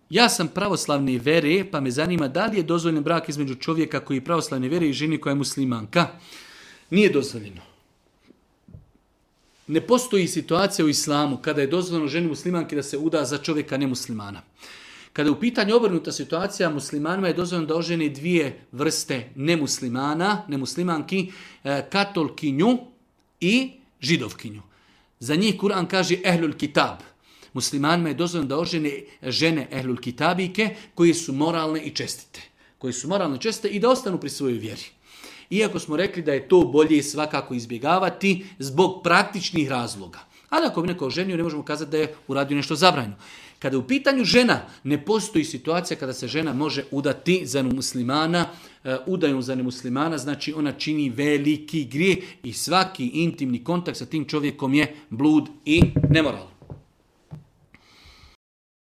ja sam pravoslavne vere, pa me zanima da li je dozvoljen brak između čovjeka koji je pravoslavne vere i ženi koja je muslimanka. Nije dozvoljeno. Ne postoji situacija u islamu kada je dozvoljeno ženi muslimanki da se uda za čovjeka nemuslimana. Kada je u pitanju obrnuta situacija, muslimanima je dozvoljeno da oženi dvije vrste nemuslimanki, katolkinju i židovkinju. Za njih Kur'an kaže ehlul kitab. Muslimanima je dozvoljeno da ožene žene ehlul kitabike koji su moralne i čestite. I da ostanu pri svojoj vjeri. Iako smo rekli da je to bolje svakako izbjegavati zbog praktičnih razloga. Ali ako bi neko oženio, ne možemo kazati da je uradio nešto zabranjeno. Kada je u pitanju žena, ne postoji situacija kada se žena može udati za muslimana, udajom za nemuslimana, znači ona čini veliki grijeh i svaki intimni kontakt sa tim čovjekom je blud i nemoral.